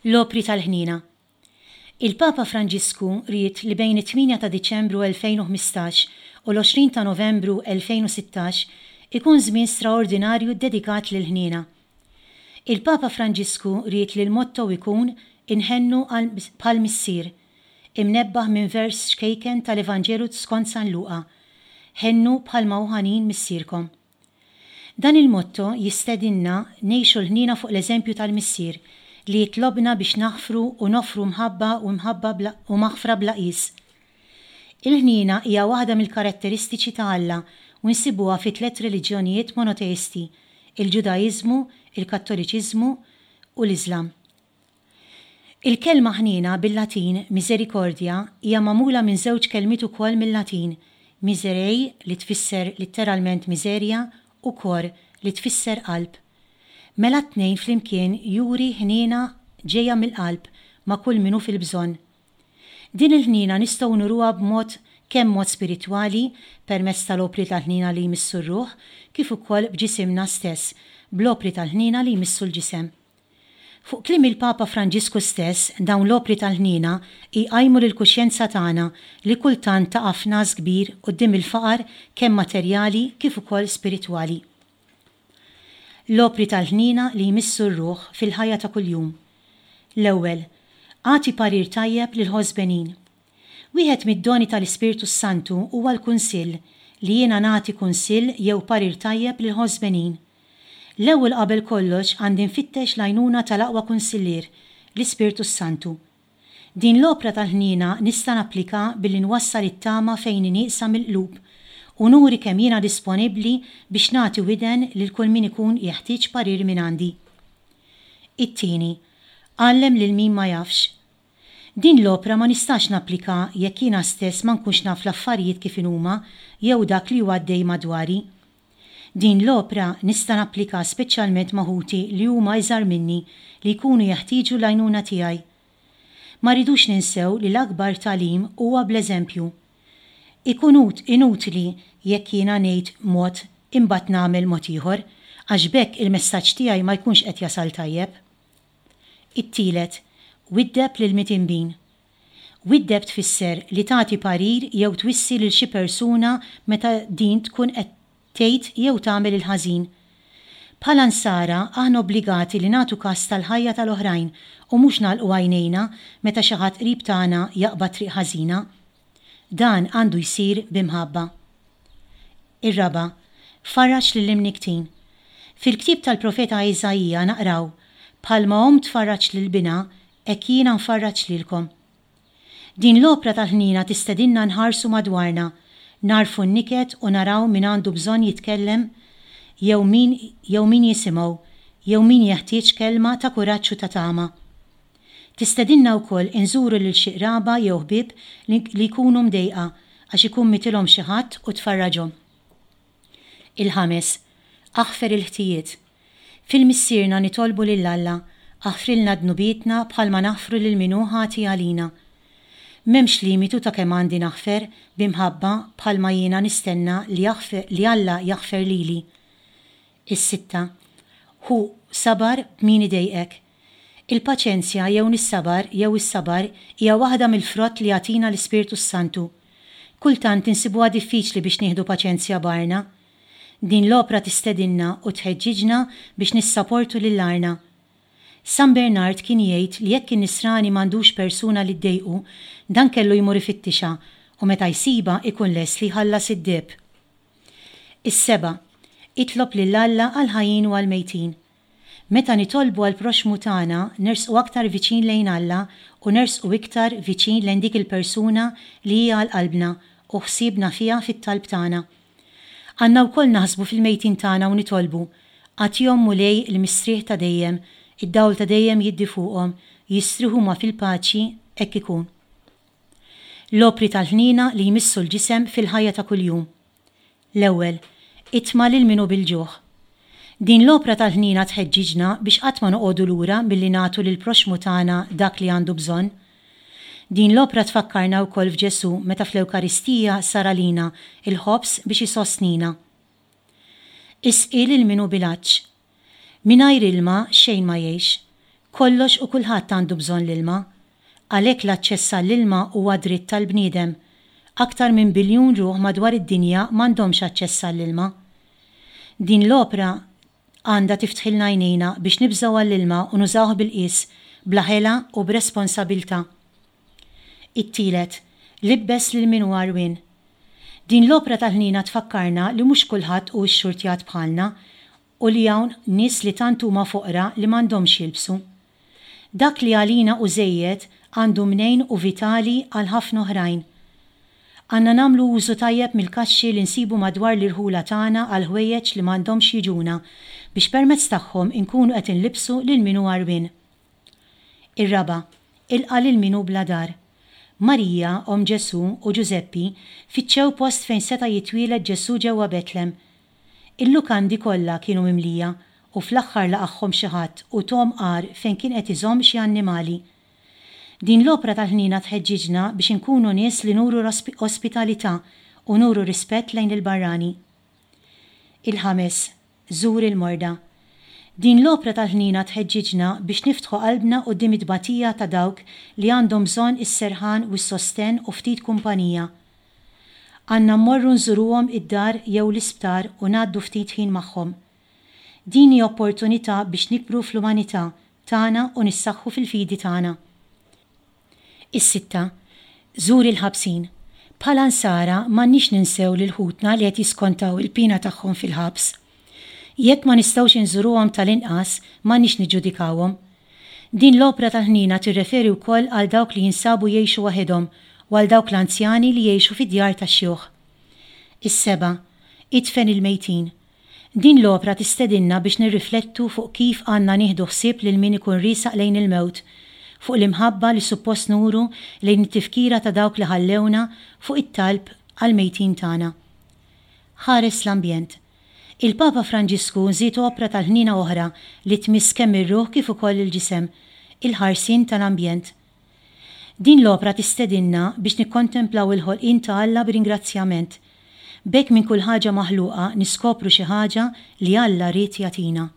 L-opri tal-ħniena. Il-Papa Franġisku ried li bejn it-tmienja ta' Diċembru 2015 u l-20 ta' Novembru 2016 ikun żmien straordinarju ddedikat lill-ħniena. Il-Papa Franġisku ried li l-motto ikun Inħennu għal bħall-Missier, imnebbaħ minn vers ċkejken tal-Evanġelu skont San Luqa, Ħennu bħalma hu ħanin Missierkom. Dan il-motto jistedinna ngħixu l-ħniena fuq l-eżempju tal-Missier li jitlobna biex naħfru u noffru mħabba u mħabba bla u maħfra bla qies. Il-ħniena hija waħda mill-karatteristiċi ta' Alla u nsibuha fi tlett reliġjonijiet monoteisti, il-Ġudaiżmu, il-Kattoliċiżmu u l-Iżlam. Il-kelma ħniena bil-Latin misericordia hija magħmula minn żewġ kelmiet ukoll mil-Latin, miserei li tfisser litteralment miżerja u cor li tfisser qalb. Mela t-tnejn flimkien juri ħniena ġejja mill-qalb ma' kull min hu fil-bżonn. Din il-ħniena nistgħu nuruha b'mod kemm mod spiritwali, permezz tal-opri tal-ħniena li jmissu r-ruħ, kif ukoll b'ġisimna stess, bl-opri tal-ħniena li jmissu l-ġisem. Fuq kliem il-Papa Franġisku stess, dawn l-opri tal-ħniena jqajmu lill-kuxjenza tagħna li kultant taqa' f'ngħas kbir quddiem il-faqar kemm materjali kif ukoll spiritwali. L-opri tal-ħniena li jmissu r-ruħ fil-ħajja ta' kuljum. L-ewwel, agħti parir tajjeb lill-ħosbenin. Wieħed mid-doni tal-Ispirtu s-Santu huwa l-kunsill, li jiena nagħti kunsill jew parir tajjeb lill-ħosbenin. L-ewwel qabel kollox għandi nfittex l-għajnuna tal-aqwa kunsillier, l-Ispirtu s-Santu. Din l-opra tal-ħniena nista' napplika billi nwassal it-tama fejn hi nieqsa mill-qlub u nuri kemm jiena disponibbli biex nagħti widen lil kull min ikun jeħtieġ parir mingħandi. It-tieni, għallem lil min ma jafx. Din l-opra ma nistax napplika jekk jiena stess ma nkunx naf l-affarijiet kif inhuma jew dak li hu għaddej madwari. Din l-opra nista' napplika speċjalment ma' ħuti li huma iżgħar minni li jkunu jeħtieġu l-għajnuna tiegħi. Ma rridux ninsew li l-akbar tagħlim huwa bl-eżempju. Ikun inutli jekk jiena ngħid mod imbagħad nagħmel mod ieħor, għax b'hekk il-messaġġ tiegħi ma jkunx qed jasal tajjeb. It-tielet, widdeb lill-mitinbin. Widdeb tfisser li tagħti parir jew twissi lil xi persuna meta din tkun qed tgħid jew tagħmel il-ħażin. Bħala Nsara, aħna obbligati li nagħtu kas tal-ħajja tal-oħrajn u mhux nagħlqu għajnejna meta xi ħadd qrib tagħna jaqbad triq ħażina. Dan għandu jsir bi mħabba. Ir-raba', farraġ lill-imnikktin. Fil-ktieb tal-profeta Iżaija naqraw, Bħalma omm tfarraġ lil binha, Hekk jiena nfarraġ lilkom. Din l-opra tal-ħniena tistedinna nħarsu madwarna, nagħrfu n-niket u naraw min għandu bżonn jitkellem jew min jew min jisimgħu jew min jeħtieġ kelma ta' kuraġġ u ta' tama. Tistedinna wkoll inżuru lil xi qraba jew ħbieb li li jkunu mdejqa għax ikun mitilhom xi ħadd u tfarraġhom. Il-ħames, aħfer il-ħtijiet. Fil-Missierna nitolbu lil Alla, aħfrilna dnubietna bħalma naħfru lil min hu ħati għalina. M'hemmx limitu ta' kemm għandi naħfer bi mħabba bħalma jiena nistenna li li Alla jaħfer lili. Is-sitta, Ħu sabar b'min idejqek. Il-paċenzja jew nissabar jew is-sabar hija waħda mill-frott li jagħtina l-Ispirtu s-Santu. Kultant insibuha diffiċli biex nieħdu paċenzja b'għarna. Din l-opra tistedinna u tħeġġiġna biex nissaportu lil għarna. San Bernard kien jgħid li jekk in-nisrani m'għandux persuna li ddejqu, dan kellu jmur ifittixha u meta jsibha ikun lest li jħallas id-deheb. Is-seba', itlob lil Alla għall-ħajjin u għall-mejtin. Meta nitolbu għall-proxxmu tagħna, nersqu aktar viċin lejn Alla u nersqu iktar viċin lejn dik il-persuna li hi għal qalbna u ħsiebna fiha fit-talb tagħna. Għandna wkoll naħsbu fil-mejtin tagħna u nitolbu, Agħtihom Mulej il-mistrieħ ta' dejjem, id-dawl ta' dejjem jiddi fuqhom, jistrieħu huma fil-paċi, hekk ikun. L-opri tal-ħniena li jmissu l-ġisem fil-ħajja ta' kuljum. L-ewwel, itma' lil min hu bil-ġuħ. Din l-opra tal-ħniena tħeġġiġna biex qatt ma noqogħdu lura milli nagħtu lill-proxxmu tagħna dak li għandu bżonn. Din l-opra tfakkarna wkoll f'Ġesù meta fl-Ewkaristija sar għalina l-ħobż biex isostnina. Isqi lil min hu bil-għatx. Mingħajr ilma xejn ma jgħix. Kollox u kulħadd għandu bżonn l-ilma. Għalhekk l-aċċess għall-ilma huwa dritt tal-bniedem. Aktar minn biljun ruħ madwar id-dinja m'għandhomx aċċess għall-ilma. Din l-opra għandha tiftħilna għajnejna biex nibżgħu għall-ilma u nużawh bil-qies, bla ħela u b'responsabiltà. It-tielet, libbes lil min hu għarwien. Din l-opra tal-ħniena tfakkarna li mhux kulħadd hu xxurtjat bħalna u li hawn nies li tant huma foqra li m'għandhomx x'jilbsu. Dak li għalina hu żejjed għandu mnejn hu vitali għal ħafna oħrajn. Għandna nagħmlu użu tajjeb mill-kaxxi li nsibu madwar l-irħula tagħna għall-ħwejjeġ li m'għandhomx jiġuna biex permezz tagħhom inkunu qed inlibbsu lil min hu għarwien. Ir-raba', ilqa' lil min hu bla dar. Marija, omm Ġesù, u Ġużeppi fittxew post fejn seta' jitwieled Ġesù ġewwa Betlem. Il-lukandi kollha kienu mimlija u fl-aħħar laqagħhom xi ħadd u thom għar fejn kien qed iżomm xi annimali. Din l-opra tal-ħniena tħeġġiġna biex inkunu nies li nuru ospitalità u nuru rispett lejn il-barrani. Il-ħames, żur il-morda. Din l-opra tal-ħniena tħeġġiġna biex niftħu qalbna quddiem it-tbatija ta' dawk li għandhom bżonn is-serħan u s-sostenn u ftit kumpanija. Għandna mmorru nżuruhom id-dar jew l-isptar u ngħaddu ftit ħin magħhom. Din hi opportunità biex nikbru fl-umanità tagħna u nissaħħu fil-fidi tagħna. Is-sitta, Żur il-ħabsin. Bħala Nsara m'għandniex ninsew lil ħutna li qed jiskontaw il-piena tagħhom fil-ħabs. Jekk ma nistgħux inżuruhom tal-inqas m'għandniex niġġudikawhom. Din l-opra tal-ħniena tirreferi wkoll għal dawk li jinsabu jgħixu waħedhom u għal dawk l-anzjani li jgħixu fi djar tax-xjuħ. Is-seba', Idfen il-mejtin. Din l-opra tistedinna biex nirriflettu fuq kif għandna nieħdu ħsieb lil min ikun riesaq lejn il-mewt, fuq l-imħabba li suppost nuru lejn it-tifkira ta' dawk li ħallewna, fuq it-talb għall-mejtin tagħna. Ħares l-ambjent. Il-Papa Franġisku żied opra tal-ħniena oħra li tmiss kemm ir-ruħ kif ukoll il-ġisem, il-ħarsien tal-ambjent. Din l-opra tistedinna biex nikkontemplaw il-ħolqien ta' Alla b'ringrazzjament. B'hekk minn kull ħaġa maħluqa niskopru xi ħaġa li Alla ried jagħtina.